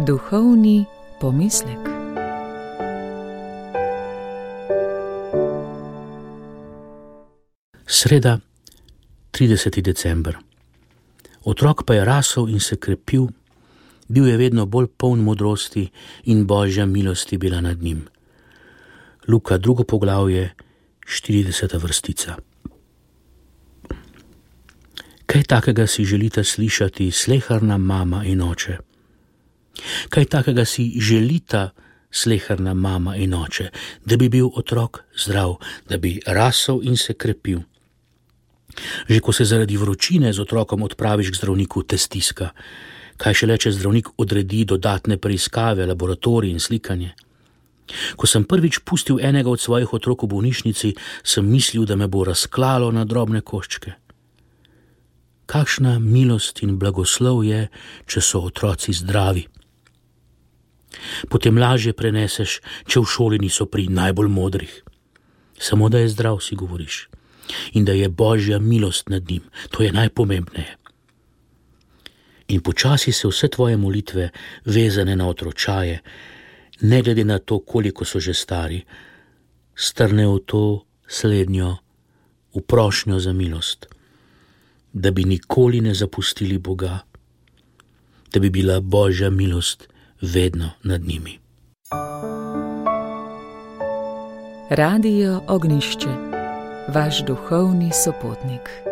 Duhovni pomislek. Sreda, 30. december. Otrok pa je rasel in se krepil, bil je vedno bolj poln modrosti in Božja milost je bila nad njim. Luka, 2. poglavje, 40. vrstica. Kaj takega si želita slišati sleherna mama in oče? Kaj takega si želita sleherna mama in oče? Da bi bil otrok zdrav, da bi rasel in se krepil. Že ko se zaradi vročine z otrokom odpraviš k zdravniku, te stiska. Kaj šele, če zdravnik odredi dodatne preiskave, laboratorij in slikanje. Ko sem prvič pustil enega od svojih otrok v bolnišnici, sem mislil, da me bo razklalo na drobne koščke. Kakšna milost in blagoslov je, če so otroci zdravi. Potem lažje preneseš, če v šoli niso pri najbolj modrih. Samo da je zdrav, si govoriš. In da je Božja milost nad njim. To je najpomembneje. In počasi se vse tvoje molitve, vezane na otročaje, ne glede na to, koliko so že stari, strnejo v to slednjo, v prošnjo za milost, da bi nikoli ne zapustili Boga, da bi bila Božja milost vedno nad njimi. Radio Ognjišče, vaš duhovni sopotnik.